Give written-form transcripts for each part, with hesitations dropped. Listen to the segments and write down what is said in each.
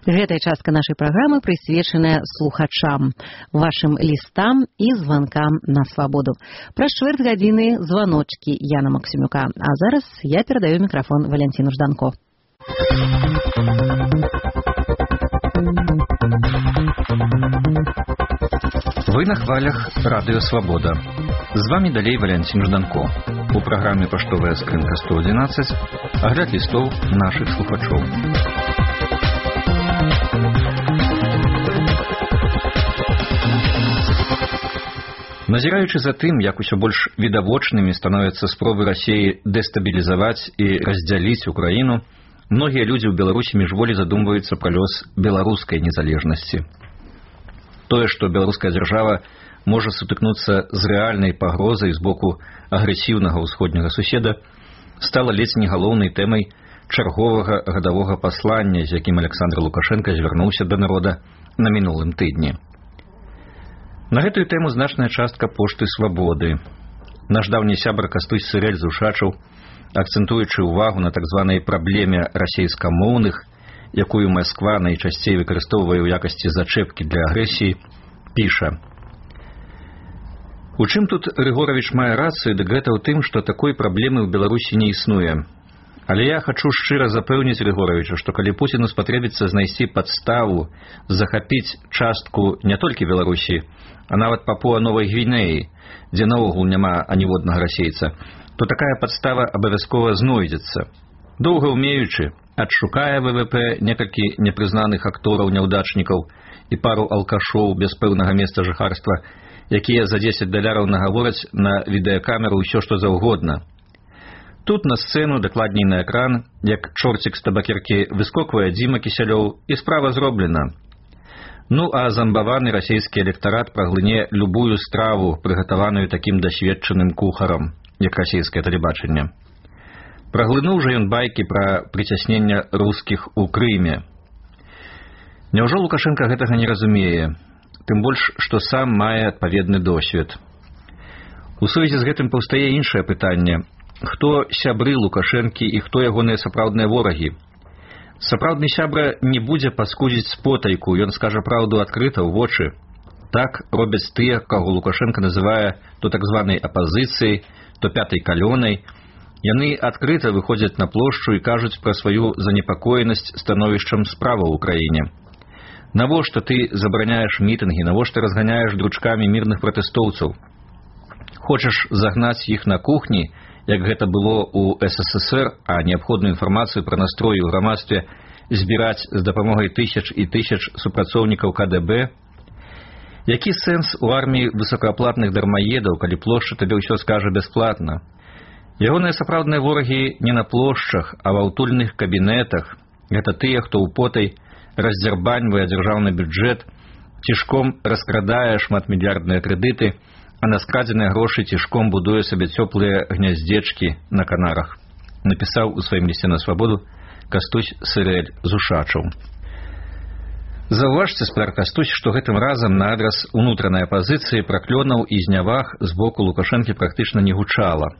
Гэтая частка нашай праграмы прысвечаная слухачам, вашым лістам і званкам на свабоду. Праз чвэрць гадзіны званочкі Яна Максімюка. А зараз я перадаю мікрафон Валянціну Жданко. Вы на хвалях Радыё Свабода. З вами далей Валянцін Жданко. У праграме «Паштовая скрынка 111» агляд лістоў нашых слухачоў. Назіраючы за тым, як усё больш відавочнымі становяцца спробы Расіі дэстабілізаваць і раздзяліць Украіну, многія людзі ў Беларусі міжволі задумваюцца пра лёс беларускай незалежнасці. Тое, што беларуская дзяржава можа сутыкнуцца з рэальнай пагрозай з боку агрэсіўнага ўсходняга суседа, стала ледзь не галоўнай тэмай чарговага гадавога паслання, з якім Александр Лукашенко звярнуўся да народа на мінулым тыдні. На гэтую тэму значная частка пошты «Свабоды». Наш даўні сябар Кастусь Сырэль з Ушачаў, акцэнтуючы ўвагу на так званай праблеме расейскамоўных, якую Масква найчасцей выкарыстоўвае ў якасці зачэпкі для агрэсіі, піша: «У чым тут Рыгоравіч мае рацыю, дык гэта ў тым, што такой праблемы ў Беларусі не існуе. Але я хачу шчыра запэўніць Рыгоравіча, што калі Пуціну спатрэбіцца знайсці падставу захапіць частку не толькі Беларусі, а нават Папуа-Новай Гвінеі, дзе наогул няма аніводнага расейца, то такая падстава абавязкова знойдзецца. Доўга ўмеючы, адшукае ВВП некалькі непрызнаных актораў-няўдачнікаў і пару алкашоў без пэўнага месца жыхарства, якія за $10 нагавораць на відэакамеру ўсё, што заўгодна. Тут на сцэну, дакладней на экран, як чорцік з табакеркі выскоквае Дзіма Кісялёў, і справа зроблена. Ну, а замбаваны расійскі электарат праглыне любую страву, прыгатаваную такім дасведчаным кухарам, як расійскае тэлебачанне. Праглынуў жа ён байкі пра прыцяснення рускіх у Крыме. Няўжо Лукашенко гэтага не разумее, тым больш, што сам мае адпаведны досвед. У сувязі з гэтым паўстае іншае пытанне: хто сябры Лукашэнкі і хто ягоныя сапраўдныя ворагі? Сапраўдны сябра не будзе паскудзіць спотайку, ён скажа праўду адкрыта ў вочы. Так робяць тыя, каго Лукашенко называе то так званай апазіцыяй, то пятай калёнай. Яны адкрыта выходзяць на плошчу і кажуць пра сваю занепакоенасць становішчам справа ў краіне. Навошта ты забараняеш мітынгі, навошта разганяеш дручкамі мірных пратэстоўцаў? Хочаш загнаць іх на кухні, як гэта было ў СССР, а неабходную інфармацыю пра настрой у грамадстве збіраць з дапамогай тысяч і тысяч супрацоўнікаў КДБ? Які сэнс у арміі высокааплатных дармаедаў, калі плошча табе ўсё скажа бясплатна? Ягоныя сапраўдныя ворагі не на плошчах, а ва ўтульных кабінетах. Гэта тыя, хто ў потай раздзярбаньвае дзяржаўны бюджэт, цішком раскрадае шматмільярдныя крэдыты, а на скрадзеныя грошы цішком будуе сабе цёплыя гняздзечкі на Канарах, напісаў у сваім лісце на свабоду Кастусь Сырэль з Ушачаў. Заўважце, спадар Кастусь, што гэтым разам на адрас унутранай апазіцыі праклёнаў і зняваг з боку Лукашэнкі практычна не гучала.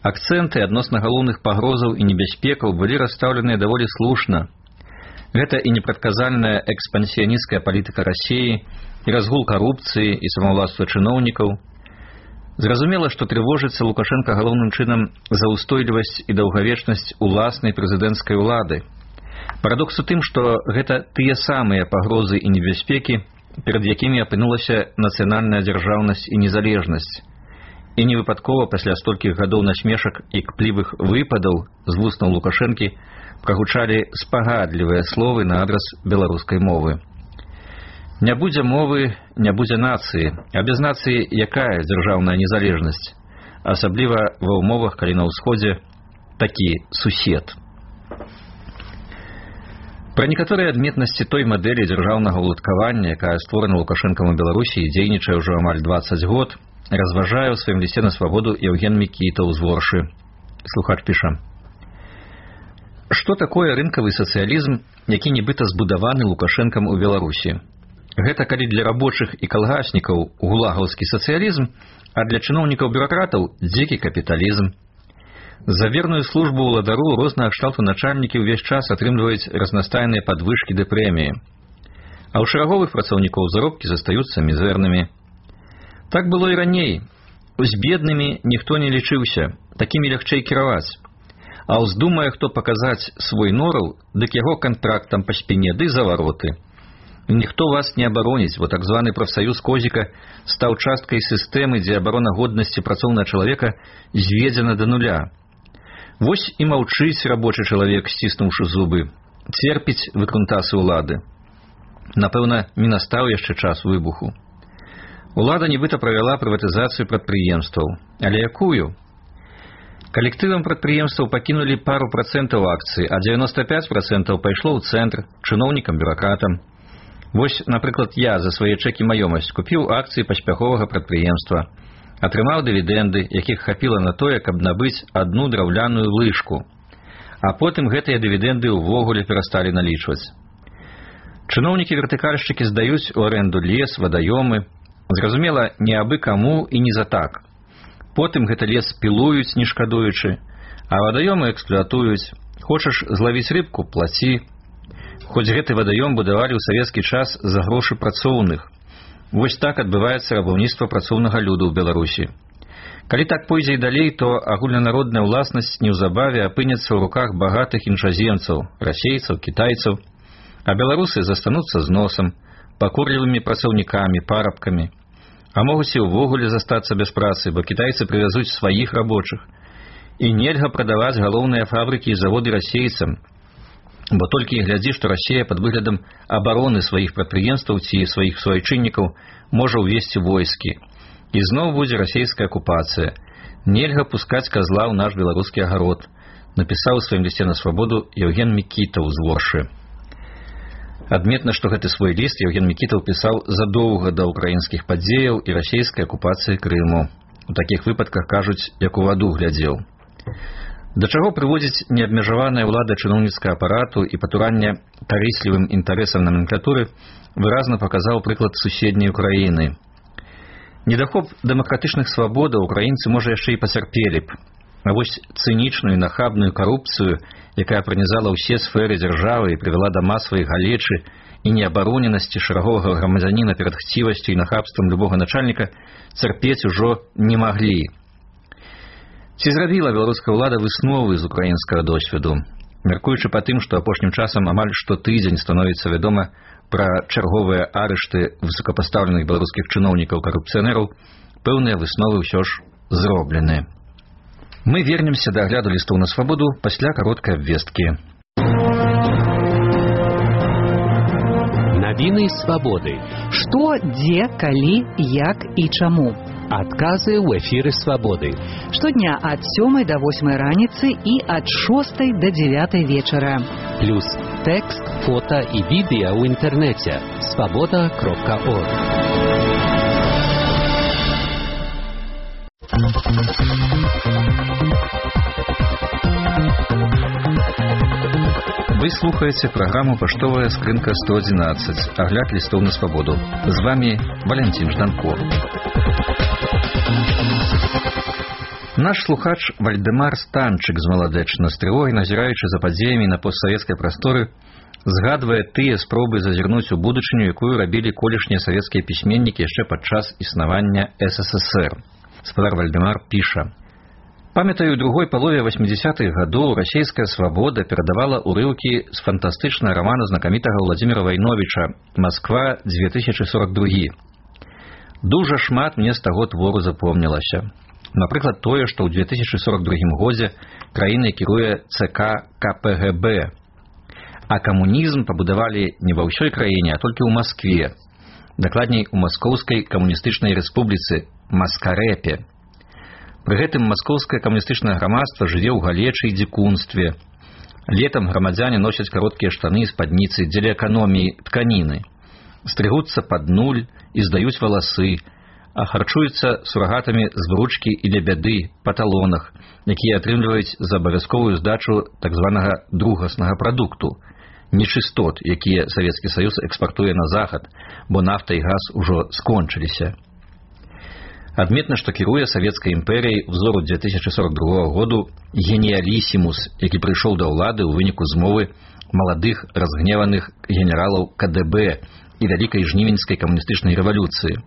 Акцэнты адносна галоўных пагрозаў і небяспекаў былі расстаўленыя даволі слушна. Гэта і непрадказальная экспансіянісцкая палітыка Расіі, і разгул карупцыі, і самаўласства чыноўнікаў. Зразумела, што трывожыцца Лукашенко галоўным чынам за ўстойлівасць і даўгавечнасць уласнай прэзідэнцкай улады. Парадокс у тым, што гэта тыя самыя пагрозы і небяспекі, перад якімі апынулася нацыянальная дзяржаўнасць і незалежнасць. І невыпадкова пасля столькіх гадоў насмешак і кплівых выпадаў з вуснаў Лукашэнкі прагучалі спагадлівыя словы на адрас беларускай мовы. Не будзе мовы, не будзе нацыі, а без нацыі якая дзяржаўная незалежнасць, асабліва ва ўмовах, калі на ўсходзе такі сусед. Пра некаторыя адметнасці той мадэлі дзяржаўнага ўладкавання, якая створана Лукашэнкам у Беларусі і дзейнічае ўжо амаль 20 год, разважае ў сваім лісце на свабоду Евген Мікітаў з Воршы. Слухач піша: што такое рынкавы сацыялізм, які нібыта збудаваны Лукашэнкам у Беларусі? Гэта калі для рабочых і калгаснікаў гулагаўскі сацыялізм, а для чыноўнікаў-бюракратаў дзікі капіталізм. За верную службу ўладару рознага кшталту начальнікі ўвесь час атрымліваюць разнастайныя падвышкі ды прэміі. А ў шараговых працаўнікоў заробкі застаюцца мізэрнымі. Так было і раней. З беднымі ніхто не лічыўся, такімі лягчэй кіраваць. А ўздумае хто паказаць свой нораў, дык яго кантрактам па спіне ды завароты. Ніхто вас не абароніць, бо так званы прафсаюз Козіка стаў часткай сістэмы, дзе абарона годнасці працоўнага чалавека зведзена да нуля. Вось і маўчыць рабочы чалавек, сціснуўшы зубы, церпіць выкрунтасы ўлады. Напэўна, не настаў яшчэ час выбуху. Улада нібыта правяла прыватызацыю прадпрыемстваў. Але якую? Калектывам прадпрыемстваў пакінулі пару працэнтаў акцый, а 95% пайшло ў цэнтр, чыноўнікам, бюракратам. Вось, напрыклад, я за свае чэкі маёмасць купіў акцыі паспяховага прадпрыемства, атрымаў дывідэнды, якіх хапіла на тое, каб набыць адну драўляную лыжку. А потым гэтыя дывідэнды ўвогуле перасталі налічваць. Чыноўнікі-вертыкальшчыкі здаюць у арэнду лес, вадаёмы. Зразумела, не абы каму і не за так. Потым гэты лес пілуюць, не шкадуючы, а вадаёмы эксплуатуюць. Хочаш злавіць рыбку – плаці. Хоць гэты вадаём будавалі ў савецкі час за грошы працоўных. Вось так адбываецца рабаўніцтва працоўнага люду ў Беларусі. Калі так пойдзе і далей, то агульнанародная ўласнасць неўзабаве апынецца ў руках багатых іншаземцаў, расейцаў, кітайцаў, а беларусы застануцца з носам, пакорлівымі працаўнікамі, парабкамі. А могуць і ўвогуле застацца без працы, бо кітайцы прывязуць сваіх рабочых. І нельга прадаваць галоўныя фабрыкі і заводы расейцам, бо толькі і глядзі, што Расія пад выглядам абароны сваіх прадпрыемстваў ці сваіх суайчыннікаў можа ўвесці войскі. І зноў будзе расейская акупацыя. Нельга пускаць казла ў наш беларускі агарод, напісаў у сваім лісце на свабоду Евген Мікітаў з Воршы. Адметна, што гэты свой ліст Евген Мікітаў пісаў задоўга да ўкраінскіх падзеяў і расейскай акупацыі Крыму. У такіх выпадках, кажуць, як у ваду глядзеў. Да чаго прыводзіць неабмежаваная ўлада чыноўніцкага апарату і патуранне карыслівым інтарэсам наменклатуры выразна паказаў прыклад суседняй Украіны. Недахоп дэмакратычных свабодаў украінцы, можа, яшчэ і пацярпелі б. А вось цынічную і нахабную карупцыю, якая пранізала ўсе сферы дзяржавы і прывяла да масавай галечы і неабароненасці шараговага грамадзяніна перад хцівасцю і нахабствам любога начальніка, цярпець ужо не маглі. Ці зрабіла беларуская ўлада высновы з украінскага досведу? Мяркуючы па тым, што апошнім часам амаль штотыдзень становіцца вядома пра чарговыя арышты высокапастаўленых беларускіх чыноўнікаў-карупцыянераў, пэўныя высновы ўсё ж зроблены. Мы вернемся да агляду лістоў на свабоду пасля кароткай абвесткі. Навіны свабоды. Што, дзе, калі, як і чаму? Адказы ў эфіры свабоды. Штодня ад 7 до 8 раніцы і ад 6 до 9 вечара. Плюс тэкст, фота і відэа ў інтэрнэце. Свабода.орг. Вы слухаеце праграму «Паштовая скрынка 111», агляд лістоў на свабоду. З вами Валентин Жданко. Наш слухач Вальдэмар Станчык з Маладэчна, з трывогай назіраючы за падзеямі на постсавецкай прасторы, згадвае тыя спробы зазірнуць у будучыню, якую рабілі колішнія савецкія пісьменнікі яшчэ падчас існавання СССР. Спадар Вальдэмар піша: «Памятаю, у другой палове 80-х гадоў расійская свабода перадавала урыўкі з фантастычнага рамана знакамітага Владзіміра Вайновіча «Москва 2042». Дужа шмат мне з таго твору запомнілася. Напрыклад, тое, што ў 2042 годзе краінай кіруе ЦК КПГБ, а камунізм пабудавалі не ва ўсёй краіне, а толькі ў Маскве, дакладней у Маскоўскай камуністычнай рэспубліцы Маскарэпе. Пры гэтым маскоўскае камуністычнае грамадства жыве ў галечы і дзікунстве. Летам грамадзяне носяць кароткія штаны і спадніцы дзеля эканоміі тканіны, стрыгуцца пад нуль і здаюць валасы, а харчуюцца сурагатамі з вручкі і для бяды па талонах, якія атрымліваюць за абавязковую здачу так званага другаснага прадукту, нечыстот, якія Савецкі Саюз экспартуе на захад, бо нафта і газ ужо скончыліся. Адметна, што кіруе савецкай імперыяй узору 2042 году геніялісімус, які прыйшоў да ўлады ў выніку змовы маладых разгневаных генералаў КДБ і вялікай жнівеньскай камуністычнай рэвалюцыі.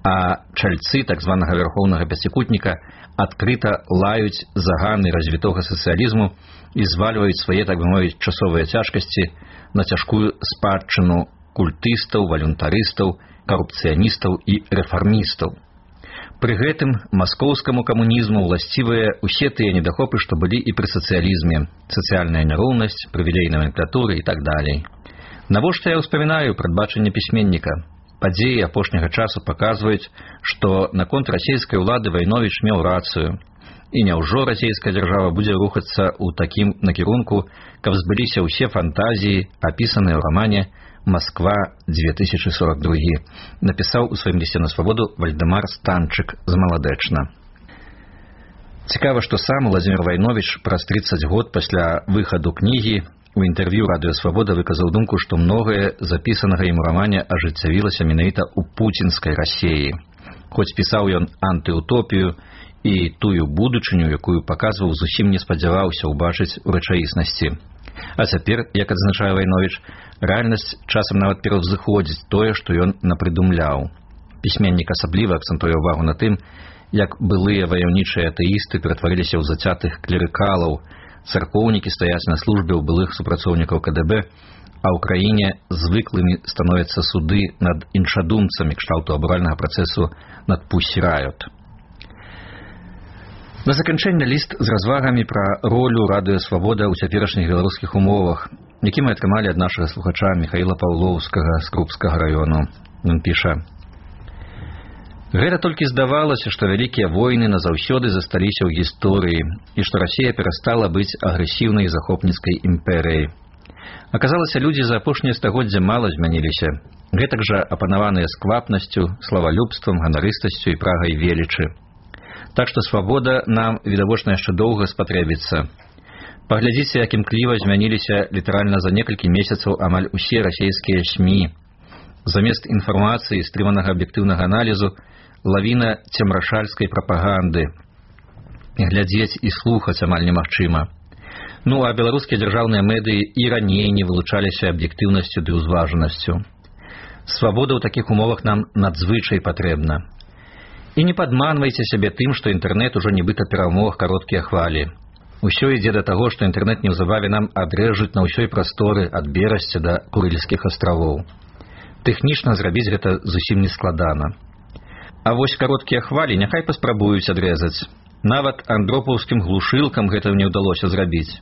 А чальцы так званага вярхоўнага пяцікутніка адкрыта лаюць заганы развітога сацыялізму і звальваюць свае, так бы мовіць, часовыя цяжкасці на цяжкую спадчыну культыстаў, валюнтарыстаў, карупцыяністаў і рэфармістаў. Пры гэтым маскоўскаму камунізму ўласцівыя ўсе тыя недахопы, што былі і пры сацыялізме: сацыяльная няроўнасць, прывілей наменклатуры і так далей. Навошта я ўспамінаю прадбачанне пісьменніка? Падзеі апошняга часу паказваюць, што наконт расійскай улады Вайновіч меў рацыю. І няўжо расійская дзяржава будзе рухацца ў такім накірунку, каб збыліся ўсе фантазіі, апісаныя ў рамане «Москва-2042», напісаў у сваім лісце на свабоду Вальдэмар Станчык з Маладэчна. Цікава, што сам Уладзімір Вайновіч праз 30 год пасля выхаду кнігі у інтэрв'ю Радыё Свабода выказаў думку, што многае запісанага ім у рамане ажыццявілася менавіта ў пуцінскай Расіі. Хоць пісаў ён антыутопію і тую будучыню, якую паказваў, зусім не спадзяваўся ўбачыць у рэчаіснасці. А цяпер, як адзначае Вайновіч, рэальнасць часам нават пераўзыходзіць тое, што ён напрыдумляў. Пісьменнік асабліва акцэнтуе ўвагу на тым, як былыя ваяўнічыя атэісты ператварыліся ў зацятых клерыкалаў, царкоўнікі стаяць на службе ў былых супрацоўнікаў КДБ, а ў краіне звыклымі становяцца суды над іншадумцамі кшталту абуральнага працэсу над Пусі Райот. На заканчэнне ліст з развагамі пра ролю Радыё Свабода ў цяперашніх беларускіх умовах, які мы атрымалі ад нашага слухача Міхаіла Паўлоўскага з Крупскага раёну. Ён піша: «Гэта толькі здавалася, што вялікія войны назаўсёды засталіся ў гісторыі і што Расія перастала быць агрэсіўнай захопніцкай імперыяй. Аказалася, людзі за апошняе стагоддзя мала змяніліся, гэтак жа апанаваныя сквапнасцю, славалюбствам, ганарыстасцю і прагай велічы. Так што свабода нам, відавочна, яшчэ доўга спатрэбіцца. Паглядзіце, як імкліва змяніліся літаральна за некалькі месяцаў амаль усе расійскія СМІ. Замест інфармацыі, стрыманага аб'ектыўнага аналізу, лавіна цемрашальскай прапаганды. Глядзець і слухаць амаль немагчыма. Ну, а беларускія дзяржаўныя медыі і раней не вылучаліся аб'ектыўнасцю ды ўзважанасцю. Свабода ў такіх умовах нам надзвычай патрэбна. І не падманвайце сябе тым, што інтэрнэт ужо нібыта перамог кароткія хвалі. Усё ідзе да таго, што інтэрнэт неўзабаве нам адрэжуць на ўсёй прасторы ад Берасця да Курыльскіх астравоў. Тэхнічна зрабіць гэта зусім не складана. А вось кароткія хвалі няхай паспрабуюць адрэзаць. Нават андропаўскім глушылкам гэта не ўдалося зрабіць.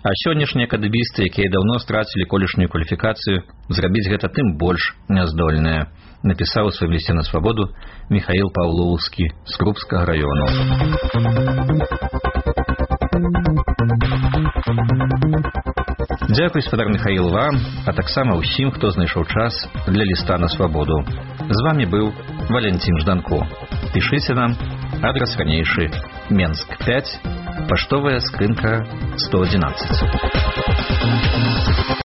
А сённяшнія кадыбісты, якія даўно страцілі колішнюю кваліфікацыю, зрабіць гэта тым больш няздольныя, напісаў у сваім лісце на свабоду Міхаіл Паўлоўскі з Крупскага раёну. Дзякуй, спадар Міхаіл, вам, а таксама ўсім, хто знайшоў час для ліста на свабоду. З вамі быў Валянцін Жданко. Пішыце нам, адрас ранейшы: Менск 5, паштовая скрынка 111.